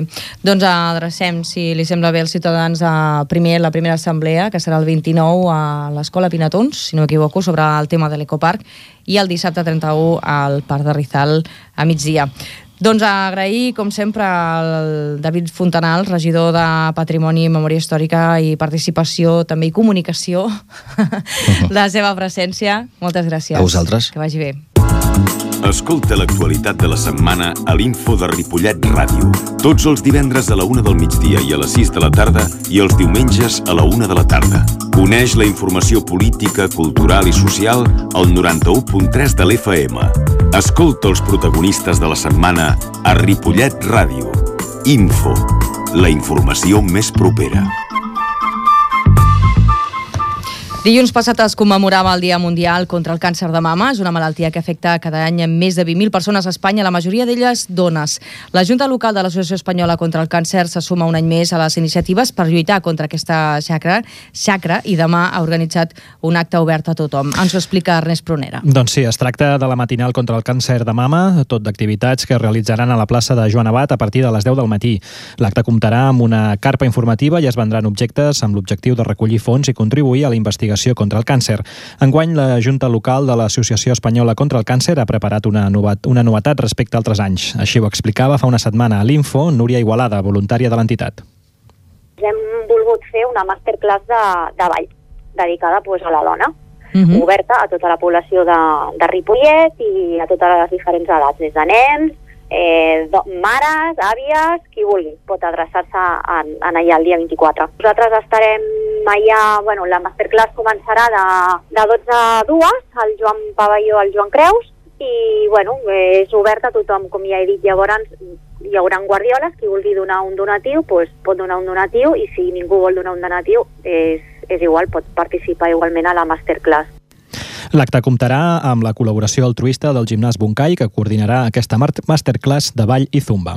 Doncs adrecem, si li sembla bé als ciutadans, a primer la primera assemblea, que serà el vint-i-nou a l'Escola Pinatons, si no m'equivoco, sobre el tema de l'ecoparc, i el dissabte trenta-u al Parc de Rizal a migdia. Doncs agrair, com sempre, al David Fontanal, regidor de Patrimoni, Memòria Històrica i Participació, també i Comunicació, la seva presència. Moltes gràcies. A vosaltres. Que vagi bé. Escolta l'actualitat de la setmana a l'Info de Ripollet Ràdio. Tots els divendres a la una del migdia i a les sis de la tarda i els diumenges a la una de la tarda. Coneix la informació política, cultural i social al noranta-u punt tres de l'F M. Escolta els protagonistes de la setmana a Ripollet Ràdio. Info, la informació més propera. Dilluns passat es commemorava el Dia Mundial contra el Càncer de Mama. És una malaltia que afecta cada any més de vint mil persones a Espanya, la majoria d'elles dones. La Junta Local de l'Associació Espanyola contra el Càncer se suma un any més a les iniciatives per lluitar contra aquesta xacra, xacra i demà ha organitzat un acte obert a tothom. Ens ho explica Ernest Prunera. Doncs sí, es tracta de la matinal contra el càncer de mama, tot d'activitats que es realitzaran a la plaça de Joan Abat a partir de les deu del matí. L'acte comptarà amb una carpa informativa i es vendran objectes amb l'objectiu de recollir fons i contribuir a la investigació contra el càncer. Enguany, la Junta Local de l'Associació Espanyola contra el Càncer ha preparat una novetat, una novetat respecte a altres anys. Així ho explicava fa una setmana a l'Info Núria Igualada, voluntària de l'entitat. Hem volgut fer una masterclass de, de ball, dedicada pues, a la dona, uh-huh. oberta a tota la població de, de Ripollet i a totes les diferents edats, des de nens, eh, do, mares, àvies, qui vulgui, pot adreçar-se en, en allà el dia vint-i-quatre. Nosaltres estarem allà, bueno, la masterclass començarà de, de dotze a dues, al Joan Pavelló, al Joan Creus, i bueno, és obert a tothom, com ja he dit. Llavors hi haurà guardioles, qui vulgui donar un donatiu pues, pot donar un donatiu, i si ningú vol donar un donatiu és, és igual, pot participar igualment a la masterclass. L'acte comptarà amb la col·laboració altruista del Gimnàs Buncay, que coordinarà aquesta masterclass de ball i zumba.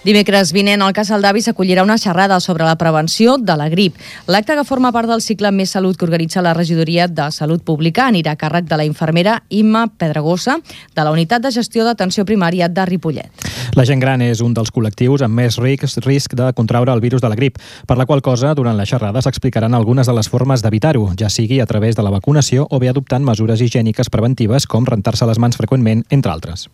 Dimecres vinent, al Casal d'Avi s'acollirà una xerrada sobre la prevenció de la grip. L'acte, que forma part del cicle Més Salut que organitza la Regidoria de Salut Pública, anirà a càrrec de la infermera Imma Pedregosa, de la Unitat de Gestió d'Atenció Primària de Ripollet. La gent gran és un dels col·lectius amb més risc, risc de contraure el virus de la grip, per la qual cosa, durant la xerrada s'explicaran algunes de les formes d'evitar-ho, ja sigui a través de la vacunació o bé adoptant mesures higièniques preventives com rentar-se les mans freqüentment, entre altres.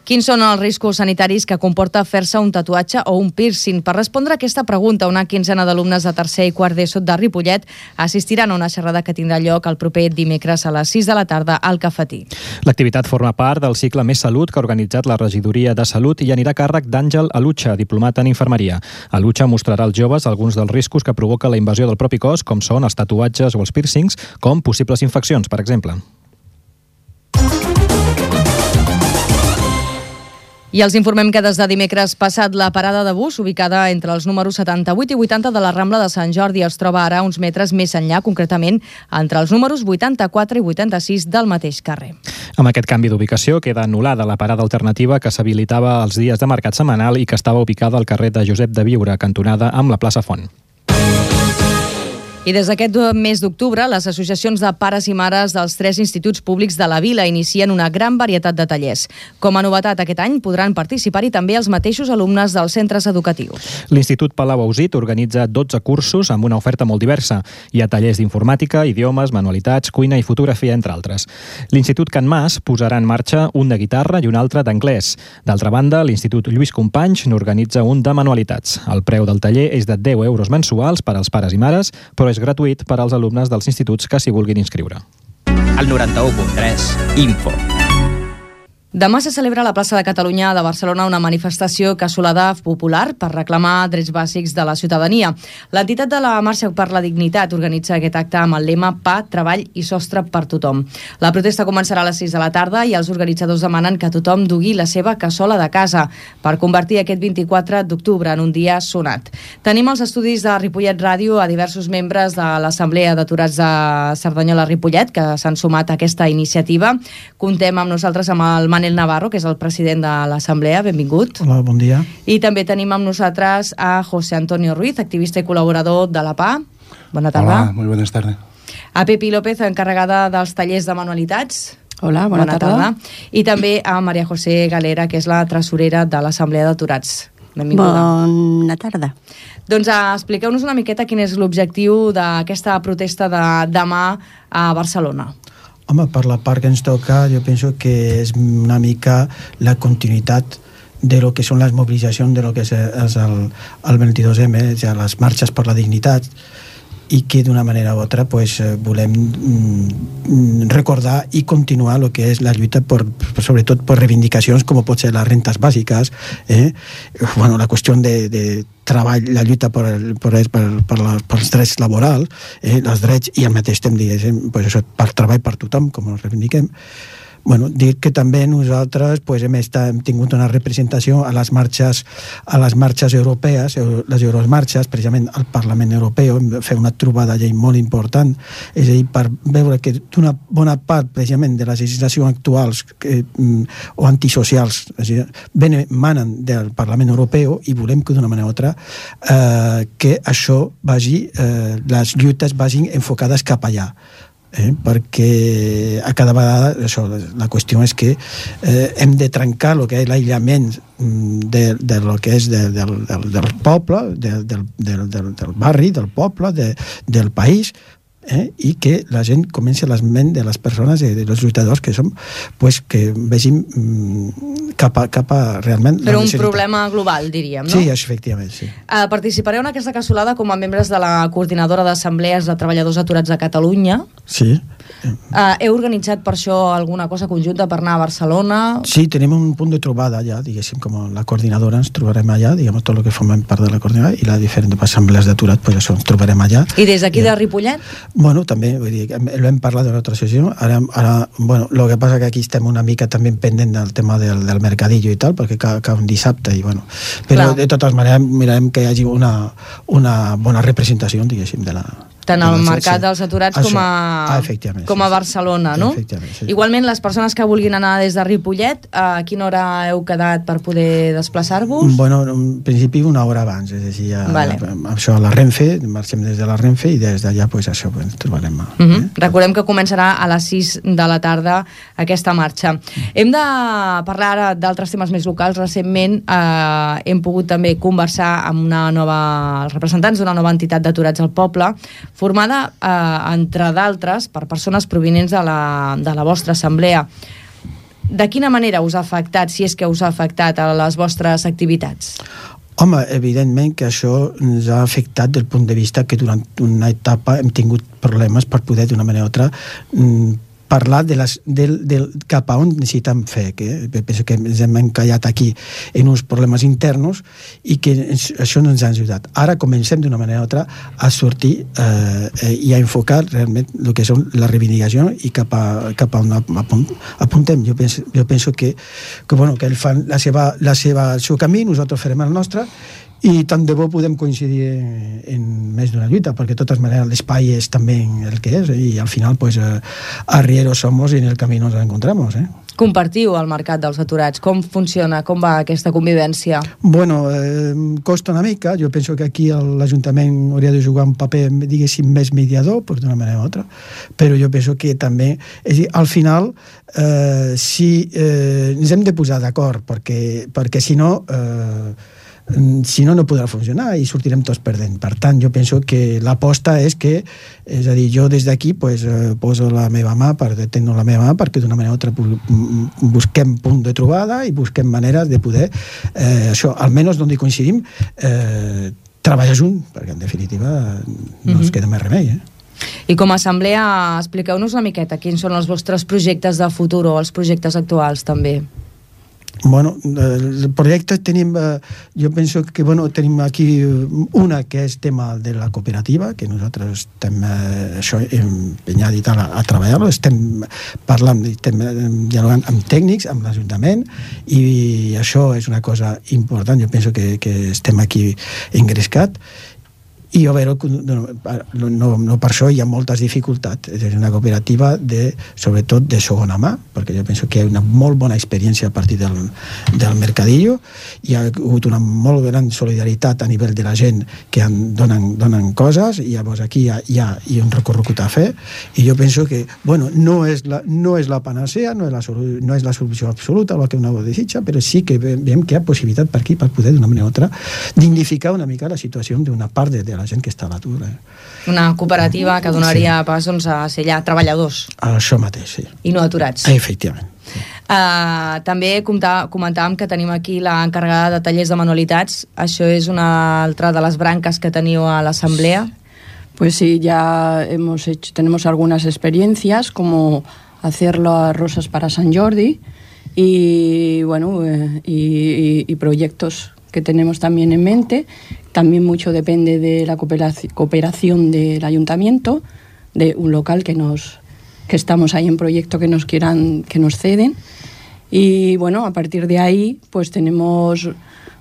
Quins són els riscos sanitaris que comporta fer-se un tatuatge o un piercing? Per respondre a aquesta pregunta, una quinzena d'alumnes de tercer i quart d'ESO de Ripollet assistiran a una xerrada que tindrà lloc el proper dimecres a les sis de la tarda al Cafetí. L'activitat forma part del cicle Més Salut que ha organitzat la Regidoria de Salut i anirà a càrrec d'Àngel Alucha, diplomat en infermeria. Alucha mostrarà als joves alguns dels riscos que provoca la invasió del propi cos, com són els tatuatges o els piercings, com possibles infeccions, per exemple. I els informem que des de dimecres passat la parada de bus, ubicada entre els números setanta-vuit i vuitanta de la Rambla de Sant Jordi, es troba ara uns metres més enllà, concretament entre els números vuitanta-quatre i vuitanta-sis del mateix carrer. Amb aquest canvi d'ubicació queda anul·lada la parada alternativa que s'habilitava els dies de mercat setmanal i que estava ubicada al carrer de Josep de Biure, cantonada amb la plaça Font. I des d'aquest mes d'octubre, les associacions de pares i mares dels tres instituts públics de la vila inicien una gran varietat de tallers. Com a novetat aquest any podran participar-hi també els mateixos alumnes dels centres educatius. L'Institut Palau Ausit organitza dotze cursos amb una oferta molt diversa. Hi ha tallers d'informàtica, idiomes, manualitats, cuina i fotografia, entre altres. L'Institut Can Mas posarà en marxa un de guitarra i un altre d'anglès. D'altra banda, l'Institut Lluís Companys n'organitza un de manualitats. El preu del taller és de deu euros mensuals per als pares i mares, però és gratuït per als alumnes dels instituts que s'hi vulguin inscriure. El noranta-u punt tres, Info. Demà se celebra a la plaça de Catalunya de Barcelona una manifestació cassolada popular per reclamar drets bàsics de la ciutadania. L'entitat de la Marxa per la Dignitat organitza aquest acte amb el lema Pa, Treball i Sostre per tothom. La protesta començarà a les sis de la tarda i els organitzadors demanen que tothom dugui la seva cassola de casa per convertir aquest vint-i-quatre d'octubre en un dia sonat. Tenim als estudis de Ripollet Ràdio a diversos membres de l'Assemblea d'Aturats de Cerdanyola-Ripollet que s'han sumat a aquesta iniciativa. Contem amb nosaltres amb el Manel Navarro, que és el president de l'Assemblea. Benvingut. Hola, bon dia. I també tenim amb nosaltres a José Antonio Ruiz, activista i col·laborador de la P A. Bona tarda. Hola, muy buenas tardes. A Pepi López, encarregada dels tallers de manualitats. Hola, bona, bona tarda. tarda. I també a Maria José Galera, que és la tresorera de l'Assemblea d'Aturats. Benvinguda. Bona tarda. Doncs uh, expliqueu-nos una miqueta quin és l'objectiu d'aquesta protesta de demà a Barcelona. Home, per la part que ens toca, jo penso que és una mica la continuïtat de lo que són les mobilitzacions de lo que és, és el, el vint-i-dos eme, ja les marxes per la dignitat, i que d'una manera o altra pues, volem mm, recordar i continuar el que és la lluita per, sobretot per reivindicacions com pot ser les rentes bàsiques, eh? bueno, la qüestió de, de treball, la lluita per, per, per, per, la, per els drets laborals, eh? els drets i al mateix temps diguéssim, pues això, per treball per tothom, com els reivindiquem. Bueno, dir que també nosaltres pues, hem, estat, hem tingut una representació a les marxes, a les marxes europees, les Euromarxes, precisament al Parlament Europeu, hem fet una trobada llei molt important, és a dir, per veure que d'una bona part precisament de les legislacions actuals que, o antisocials ven, manen del Parlament Europeu i volem que d'una manera o altra eh, que això vagi, eh, les lluites vagin enfocades cap allà. Eh, perquè a cada vegada això, la qüestió és que eh, hem de trencar el que és l'aïllament de, de lo que és de, de, del, del poble, de, del, del, del, del barri, del poble, de, del país, eh, i que la gent comenci a l'esment de les persones i de, dels lluitadors que som, pues, que vegin mm, cap, a, cap a realment... Però un problema global, diríem, no? Sí, efectivament, sí. Uh, participareu en aquesta cassolada com a membres de la Coordinadora d'Assemblees de Treballadors Aturats de Catalunya. Sí. Uh, heu organitzat per això alguna cosa conjunta per anar a Barcelona? Sí, tenim un punt de trobada allà, diguéssim, com la coordinadora ens trobarem allà, diguem, tot el que formem part de la coordinadora i les diferents assemblees d'aturats, pues això, ens trobarem allà. I des d'aquí de Ripollet? Bueno, també, vull dir, l'hem parlat d'una altra sessió, ara, ara, bueno, el que passa que aquí estem una mica també pendent del tema del, del mercadillo i tal, perquè cau, cau un dissabte i bueno, però Clar. De totes maneres mirarem que hi hagi una, una bona representació, diguéssim, de la... Tant al mercat dels aturats Això. com a, ah, com a Barcelona, no? Sí. Igualment, les persones que vulguin anar des de Ripollet, a quina hora heu quedat per poder desplaçar-vos? Bueno, en principi una hora abans, és a dir, ja, vale. això a la Renfe, marxem des de la Renfe i des d'allà, pues, això, pues, trobarem. Uh -huh. eh? Recordem que començarà a les sis de la tarda aquesta marxa. Uh -huh. Hem de parlar ara d'altres temes més locals. Recentment eh, hem pogut també conversar amb una nova, els representants d'una nova entitat d'aturats al poble, formada, eh, entre d'altres, per persones provinents de la, de la vostra assemblea. De quina manera us ha afectat, si és que us ha afectat, a les vostres activitats? Home, evidentment que això ens ha afectat del punt de vista que durant una etapa hem tingut problemes per poder, d'una manera o altra, parlar de les, del, del, cap a on necessitem fer, que penso que ens hem encallat aquí en uns problemes interns i que ens, això no ens ha ajudat. Ara comencem d'una manera o altra a sortir eh, i a enfocar realment el que són la reivindicació i cap a, cap a on apuntem. Jo penso, jo penso que, que, bueno, que ells fan la seva, la seva, el seu camí, nosaltres farem el nostre, i tant de bo podem coincidir en més d'una lluita, perquè de totes maneres l'espai és també el que és, i al final pues, eh, arrieros somos i en el camí nos encontramos. Eh? Compartiu el mercat dels aturats. Com funciona? Com va aquesta convivència? Bueno, eh, costa una mica. Jo penso que aquí l'Ajuntament hauria de jugar un paper, diguéssim, més mediador, pues, d'una manera o altra, però jo penso que també, és a dir, al final, eh, si eh, ens hem de posar d'acord, perquè, perquè si no... Eh, si no, no podrà funcionar i sortirem tots perdent. Per tant, jo penso que l'aposta és que, és a dir, jo des d'aquí pues, eh, poso la meva mà, per tenir la meva mà, perquè d'una manera o altra busquem punt de trobada i busquem maneres de poder, eh, això, almenys d'on hi coincidim, eh, treballar junt, perquè en definitiva no ens queda més remei, eh? I com a assemblea, expliqueu-nos una miqueta quins són els vostres projectes de futur o els projectes actuals també. Bueno, el projecte tenim, jo penso que bueno, tenim aquí una que és tema de la cooperativa, que nosaltres estem això empenyat i tal a, a treballar-lo, estem parlant, estem dialogant amb tècnics, amb l'Ajuntament, i això és una cosa important, jo penso que, que estem aquí engrescat, i a veure, no, no, no per això hi ha moltes dificultats. És una cooperativa de, sobretot de segona mà, perquè jo penso que hi ha una molt bona experiència a partir del, del mercadillo, hi ha hagut una molt gran solidaritat a nivell de la gent que en donen, donen coses, i llavors aquí hi ha, hi ha, hi ha un recorregut a fer, i jo penso que, bueno, no és la, no és la panacea, no és la, no és la solució absoluta, el que una desitja, però sí que veiem que hi ha possibilitat per aquí, per poder d'una manera o altra dignificar una mica la situació d'una part de, de la gent que està a l'atur. Eh? Una cooperativa que donaria sí. pas doncs, a ser allà treballadors. Això mateix, sí. I no aturats. Efectivament. Sí. Uh, també comptà, comentàvem que tenim aquí l'encarregada de tallers de manualitats. Això és una altra de les branques que teniu a l'assemblea. Pues sí, ya hemos hecho, tenemos algunas experiencias, como hacerlo a Rosas para San Jordi y, bueno, eh, y, y, y proyectos que tenemos también en mente. También mucho depende de la cooperación, cooperación del ayuntamiento, de un local que nos que estamos ahí en proyecto que nos quieran, que nos ceden. Y bueno, a partir de ahí pues tenemos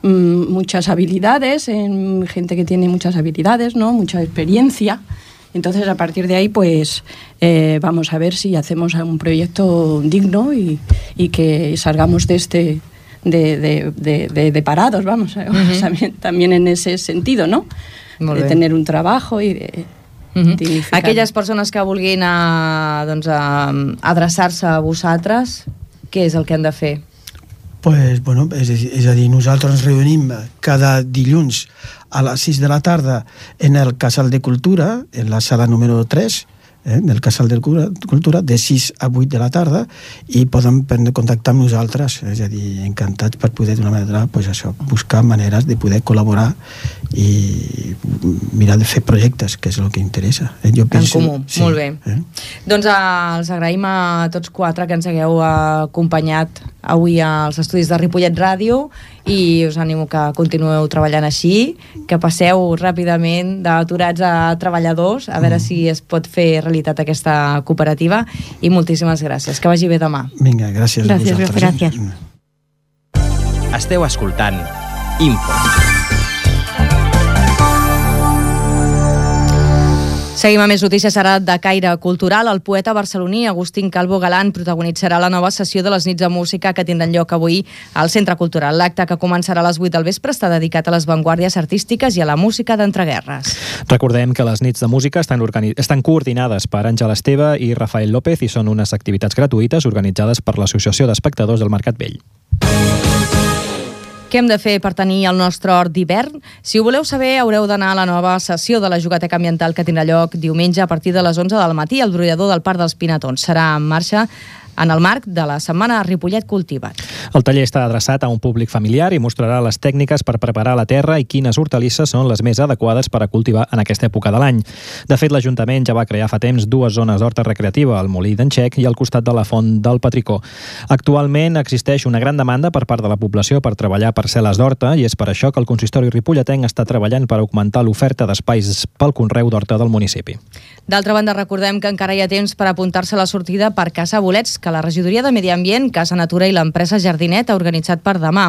mmm, muchas habilidades, en gente que tiene muchas habilidades, ¿no? Mucha experiencia. Entonces, a partir de ahí, pues eh, vamos a ver si hacemos un proyecto digno y, y que salgamos de este de, de, de, de, de parados, vamos, uh-huh. también, también en ese sentido, ¿no? Molt de bé. Tener un trabajo y de uh-huh. dignificar. Aquelles persones que vulguin a, doncs, a, adreçar-se a vosaltres, què és el que han de fer? Pues, bueno, és, és a dir, nosaltres ens reunim cada dilluns a les sis de la tarda en el Casal de Cultura, en la sala número tres, eh, del Casal de Cultura, de sis a vuit de la tarda, i poden contactar amb nosaltres, és a dir, encantats per poder d'una manera, pues això, buscar maneres de poder col·laborar i mirar de fer projectes, que és el que interessa. Eh? Jo penso, en comú, sí, molt bé. Eh? Doncs eh, els agraïm a tots quatre que ens hagueu acompanyat avui als estudis de Ripollet Ràdio i us animo que continueu treballant així, que passeu ràpidament d'aturats a treballadors, a veure mm. si es pot fer realitat aquesta cooperativa, i moltíssimes gràcies. Que vagi bé demà. Vinga, gràcies, gràcies a vosaltres. Gràcies. Esteu escoltant Info. Seguim a més notícies ara de caire cultural. El poeta barceloní Agustín Calvo Galán protagonitzarà la nova sessió de les nits de música que tindran lloc avui al Centre Cultural. L'acte, que començarà a les vuit del vespre, està dedicat a les vanguardies artístiques i a la música d'entreguerres. Recordem que les nits de música estan, organi... estan coordinades per Àngel Esteve i Rafael López i són unes activitats gratuïtes organitzades per l'Associació d'Espectadors del Mercat Vell. Què hem de fer per tenir el nostre hort d'hivern? Si ho voleu saber, haureu d'anar a la nova sessió de la Jugateca Ambiental que tindrà lloc diumenge a partir de les onze del matí al brollador del Parc dels Pinatons. Serà en marxa en el marc de la setmana Ripollet Cultivat. El taller està adreçat a un públic familiar i mostrarà les tècniques per preparar la terra i quines hortalisses són les més adequades per a cultivar en aquesta època de l'any. De fet, l'Ajuntament ja va crear fa temps dues zones d'horta recreativa, al Molí d'en Xec i al costat de la Font del Patricó. Actualment existeix una gran demanda per part de la població per treballar parcel·les d'horta i és per això que el consistori ripolletenc està treballant per augmentar l'oferta d'espais pel conreu d'horta del municipi. D'altra banda, recordem que encara hi ha temps per apuntar-se a la sortida per caçar bolets que la Regidoria de Medi Ambient, Casa Natura i l'empresa Jardinet ha organitzat per demà.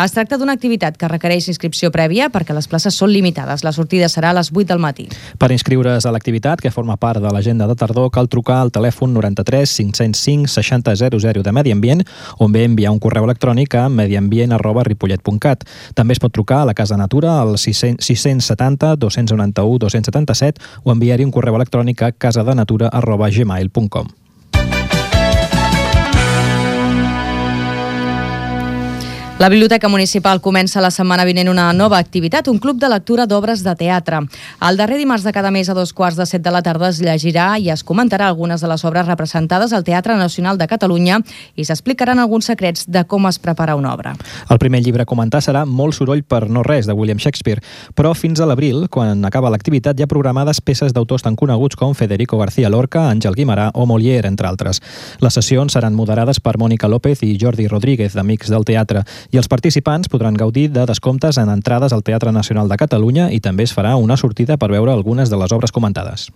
Es tracta d'una activitat que requereix inscripció prèvia perquè les places són limitades. La sortida serà a les vuit del matí. Per inscriure's a l'activitat, que forma part de l'agenda de tardor, cal trucar al telèfon noranta-tres cinc-cents cinc seixanta zero zero de Medi Ambient o bé enviar un correu electrònic a mediambient arroba ripollet punt cat. També es pot trucar a la Casa Natura al sis cents setanta dos cents noranta-u dos cents setanta-set o enviar-hi un correu electrònic a casadenatura arroba gmail punt com. La Biblioteca Municipal comença la setmana vinent una nova activitat, un club de lectura d'obres de teatre. El darrer dimarts de cada mes a dos quarts de set de la tarda es llegirà i es comentarà algunes de les obres representades al Teatre Nacional de Catalunya i s'explicaran alguns secrets de com es prepara una obra. El primer llibre a comentar serà Molt soroll per no res, de William Shakespeare, però fins a l'abril, quan acaba l'activitat, hi ha programades peces d'autors tan coneguts com Federico García Lorca, Àngel Guimerà o Molière, entre altres. Les sessions seran moderades per Mònica López i Jordi Rodríguez, d'Amics del Teatre, i els participants podran gaudir de descomptes en entrades al Teatre Nacional de Catalunya i també es farà una sortida per veure algunes de les obres comentades.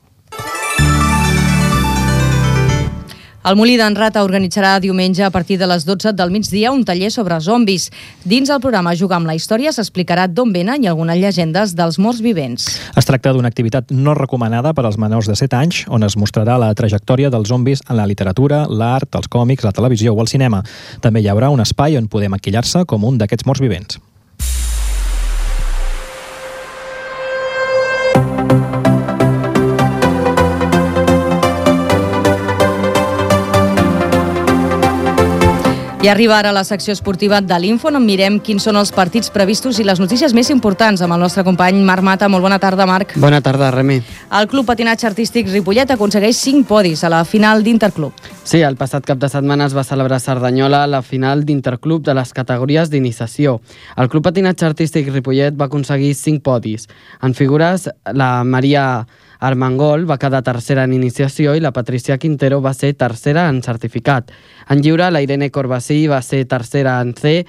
El Molí d'en Rata organitzarà diumenge a partir de les dotze del migdia un taller sobre zombis. Dins el programa Jugar amb la història s'explicarà d'on venen i algunes llegendes dels morts vivents. Es tracta d'una activitat no recomanada per als menors de set anys, on es mostrarà la trajectòria dels zombis en la literatura, l'art, els còmics, la televisió o el cinema. També hi haurà un espai on poder maquillar-se com un d'aquests morts vivents. I arriba ara la secció esportiva de l'Info, on mirem quins són els partits previstos i les notícies més importants amb el nostre company Marc Mata. Molt bona tarda, Marc. Bona tarda, Remi. El Club Patinatge Artístic Ripollet aconsegueix cinc podis a la final d'Interclub. Sí, el passat cap de setmana es va celebrar a Cerdanyola la final d'Interclub de les categories d'iniciació. El Club Patinatge Artístic Ripollet va aconseguir cinc podis. En figures, la Maria Armengol va quedar tercera en iniciació i la Patricia Quintero va ser tercera en certificat. En lliure, la Irene Corbasí va ser tercera en C,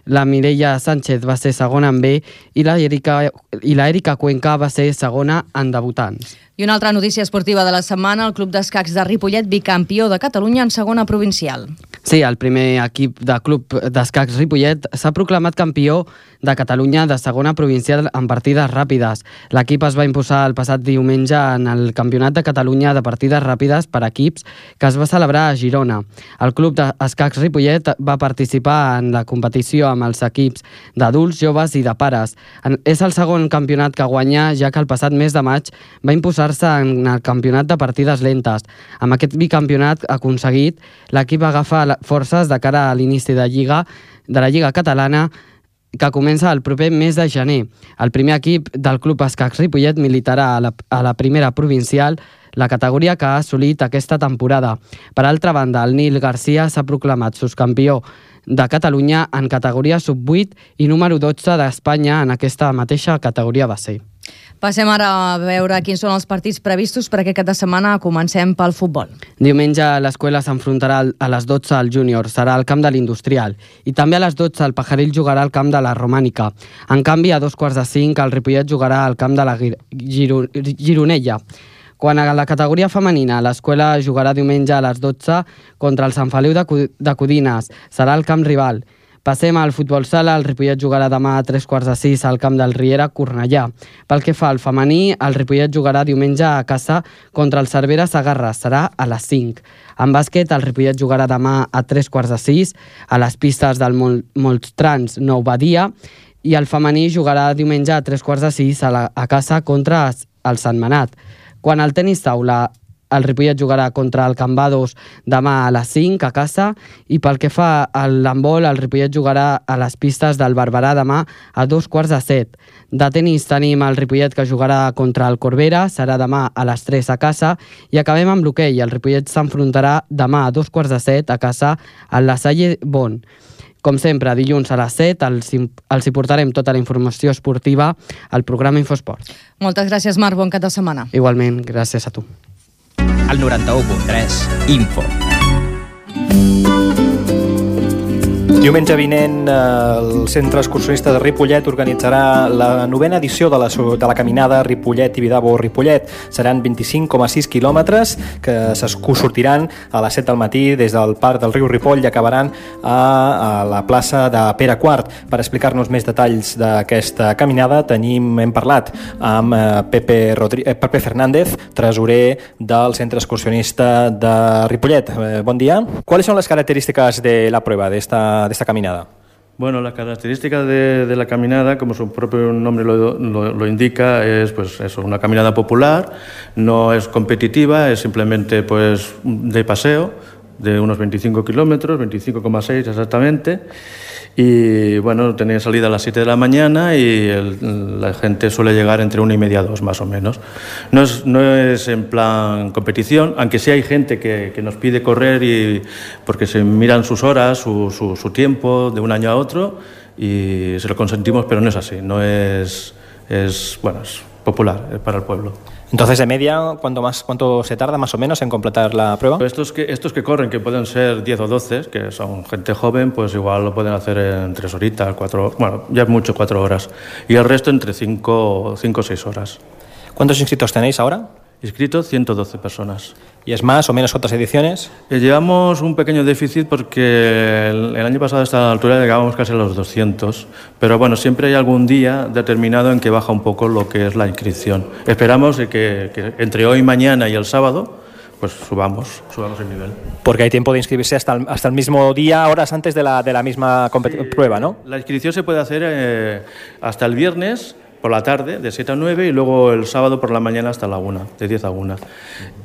la Mireia Sánchez va ser segona en B i la Erika, i la Erika Cuenca va ser segona en debutants. I una altra notícia esportiva de la setmana, el Club d'Escacs de Ripollet, bicampió de Catalunya en segona provincial. Sí, el primer equip de Club d'Escacs Ripollet s'ha proclamat campió de Catalunya de segona provincial en partides ràpides. L'equip es va imposar el passat diumenge en el Campionat de Catalunya de partides ràpides per equips que es va celebrar a Girona. El Club d'Escacs Ripollet va participar en la competició amb els equips d'adults, joves i de pares. És el segon campionat que guanya, ja que el passat mes de maig va imposar en el campionat de partides lentes. Amb aquest bicampionat aconseguit, l'equip agafa forces de cara a l'inici de Lliga, de la Lliga Catalana, que comença el proper mes de gener. El primer equip del Club Escacs Ripollet militarà a la, a la primera provincial, la categoria que ha assolit aquesta temporada. Per altra banda, el Nil Garcia s'ha proclamat subcampió de Catalunya en categoria sub vuit i número dotze d'Espanya en aquesta mateixa categoria va ser. Passem ara a veure quins són els partits previstos per aquest cap de setmana. Comencem pel futbol. Diumenge l'escola s'enfrontarà a les dotze al júnior, serà al camp de l'Industrial. I també a les dotze el Pajaril jugarà al camp de la Romànica. En canvi, a dos quarts de cinc el Ripollet jugarà al camp de la Giro Gironella. Quan a la categoria femenina, l'escola jugarà diumenge a les dotze contra el Sant Feliu de Codines. Serà al camp rival. Passem al futbol sala, el Ripollet jugarà demà a tres quarts de sis al camp del Riera Cornellà. Pel que fa al femení, el Ripollet jugarà diumenge a casa contra el Cervera Segarra, serà a les cinc. En bàsquet, el Ripollet jugarà demà a tres quarts de sis a les pistes del Mol Moltrans Nou Badia i el femení jugarà diumenge a tres quarts de sis a, la, a casa contra el Sant Manat. Quan al tenis taula, el Ripollet jugarà contra el Cambados demà a les cinc a casa i pel que fa al handbol, el Ripollet jugarà a les pistes del Barberà demà a dos quarts de set. De tenis tenim el Ripollet que jugarà contra el Corbera, serà demà a les tres a casa i acabem amb l'hoquei. El Ripollet s'enfrontarà demà a dos quarts de set a casa al La Salle Bon. Com sempre, dilluns a les set els, els hi portarem tota la informació esportiva al programa Infosport. Moltes gràcies, Marc. Bon cap de setmana. Igualment, gràcies a tu. Al noranta-u punt tres, Info. Diumenge vinent, el Centre Excursionista de Ripollet organitzarà la novena edició de la, de la caminada Ripollet-Tibidabo-Ripollet. Seran vint-i-cinc coma sis quilòmetres que sortiran a les set del matí des del Parc del Riu Ripoll i acabaran a, a la plaça de Pere quart. Per explicar-nos més detalls d'aquesta caminada tenim, hem parlat amb Pepe, Rodri, eh, Pepe Fernández, tresorer del Centre Excursionista de Ripollet. Eh, bon dia. ¿Cuáles son las características de la prueba de esta de esta caminada? Bueno, la característica de, de la caminada, como su propio nombre lo, lo, lo indica, es pues eso, una caminada popular, no es competitiva, es simplemente pues de paseo, de unos veinticinco kilómetros, veinticinco coma seis exactamente, y bueno, tenía salida a las siete de la mañana y el, la gente suele llegar entre una y media a dos más o menos. No es, no es en plan competición, aunque sí hay gente que, que nos pide correr y porque se miran sus horas, su, su, su tiempo de un año a otro y se lo consentimos, pero no es así, no es, es, bueno, es popular, es para el pueblo. Entonces, de media, ¿cuánto, más, ¿cuánto se tarda más o menos en completar la prueba? Estos que, estos que corren, que pueden ser diez o doce, que son gente joven, pues igual lo pueden hacer en tres horitas, cuatro, bueno, ya es mucho cuatro horas. Y el resto entre cinco o seis horas. ¿Cuántos inscritos tenéis ahora? Inscritos ciento doce personas. ¿Y es más o menos otras ediciones? Eh, llevamos un pequeño déficit porque el, el año pasado a esta altura llegábamos casi a los doscientos, pero bueno, siempre hay algún día determinado en que baja un poco lo que es la inscripción. Esperamos que, que entre hoy, mañana y el sábado pues subamos, subamos el nivel. Porque hay tiempo de inscribirse hasta el, hasta el mismo día, horas antes de la, de la misma sí, prueba, ¿no? La inscripción se puede hacer eh, hasta el viernes por la tarde, de siete a nueve, y luego el sábado por la mañana hasta la una, de diez a una.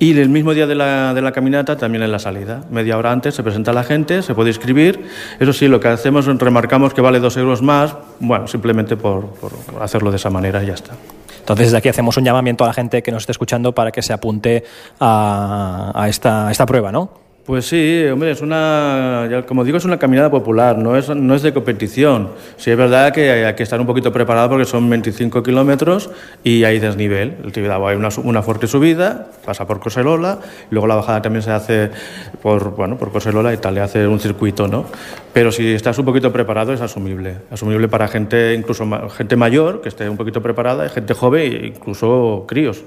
Y el mismo día de la, de la caminata también en la salida. Media hora antes se presenta la gente, se puede inscribir. Eso sí, lo que hacemos, remarcamos que vale dos euros más, bueno, simplemente por, por hacerlo de esa manera y ya está. Entonces, desde aquí hacemos un llamamiento a la gente que nos esté escuchando para que se apunte a, a, esta, a esta prueba, ¿no? Pues sí, hombre, es una, como digo, es una caminada popular, no es, no es de competición. Sí es verdad que hay que estar un poquito preparado porque son veinticinco kilómetros y hay desnivel. El Tibidabo hay una, una fuerte subida, pasa por Coselola, y luego la bajada también se hace por, bueno, por Coselola y tal, le hace un circuito, ¿no? Pero si estás un poquito preparado es asumible, asumible para gente, incluso gente mayor, que esté un poquito preparada, y gente joven e incluso críos.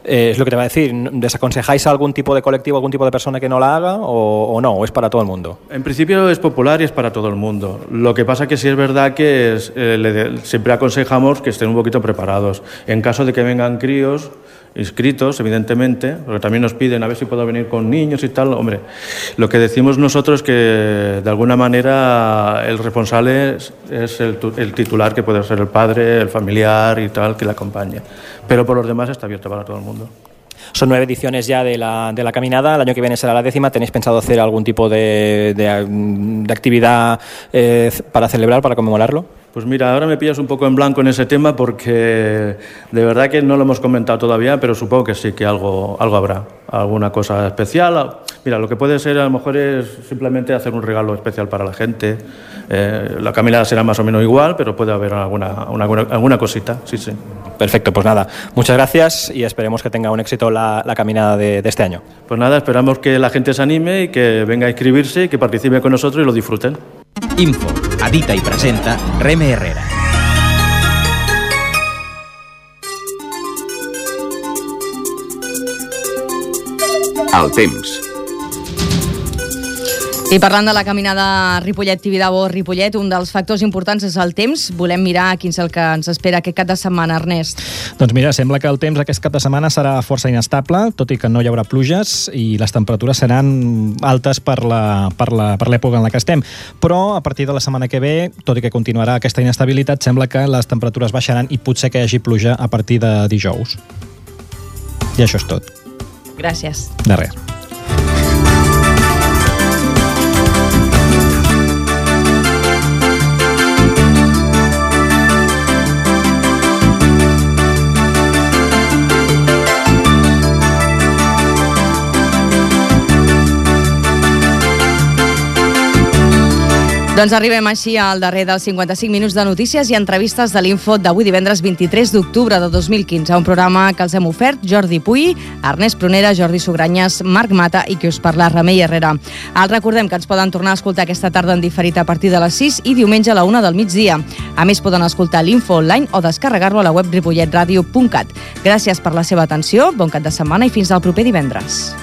Eh, es lo que te va a decir, ¿desaconsejáis a algún tipo de colectivo, algún tipo de persona que no la haga o, o no? ¿O es para todo el mundo? En principio es popular y es para todo el mundo. Lo que pasa que sí es verdad que es, eh, le, siempre aconsejamos que estén un poquito preparados. En caso de que vengan críos inscritos, evidentemente, porque también nos piden a ver si puedo venir con niños y tal. Hombre, lo que decimos nosotros es que de alguna manera el responsable es, es el, el titular, que puede ser el padre, el familiar y tal, que le acompaña. Pero por los demás está abierto para todo el mundo. Son nueve ediciones ya de la, de la caminada, el año que viene será la décima. ¿Tenéis pensado hacer algún tipo de, de, de actividad eh, para celebrar, para conmemorarlo? Pues mira, ahora me pillas un poco en blanco en ese tema porque de verdad que no lo hemos comentado todavía, pero supongo que sí, que algo, algo habrá, alguna cosa especial. Mira, lo que puede ser a lo mejor es simplemente hacer un regalo especial para la gente. Eh, la caminada será más o menos igual, pero puede haber alguna, una, alguna cosita, sí, sí. Perfecto, pues nada, muchas gracias y esperemos que tenga un éxito la, la caminada de, de este año. Pues nada, esperamos que la gente se anime y que venga a inscribirse y que participe con nosotros y lo disfruten. Info, edita i presenta Reme Herrera. El temps. I parlant de la caminada Ripollet-Tibidabo-Ripollet, un dels factors importants és el temps. Volem mirar quin és el que ens espera aquest cap de setmana, Ernest. Doncs mira, sembla que el temps aquest cap de setmana serà força inestable, tot i que no hi haurà pluges i les temperatures seran altes per la, per la, per l'època en la que estem. Però a partir de la setmana que ve, tot i que continuarà aquesta inestabilitat, sembla que les temperatures baixaran i potser que hi hagi pluja a partir de dijous. I això és tot. Gràcies. De res. Doncs arribem així al darrer dels cinquanta-cinc minuts de notícies i entrevistes de l'Info d'avui divendres vint-i-tres d'octubre de dos mil quinze, un programa que els hem ofert Jordi Puy, Ernest Prunera, Jordi Sugranyes, Marc Mata i qui us parla, Remei Herrera. Els recordem que ens poden tornar a escoltar aquesta tarda en diferit a partir de les sis i diumenge a la una del migdia. A més, poden escoltar l'Info online o descarregar-lo a la web ripollet radio punt cat. Gràcies per la seva atenció, bon cap de setmana i fins al proper divendres.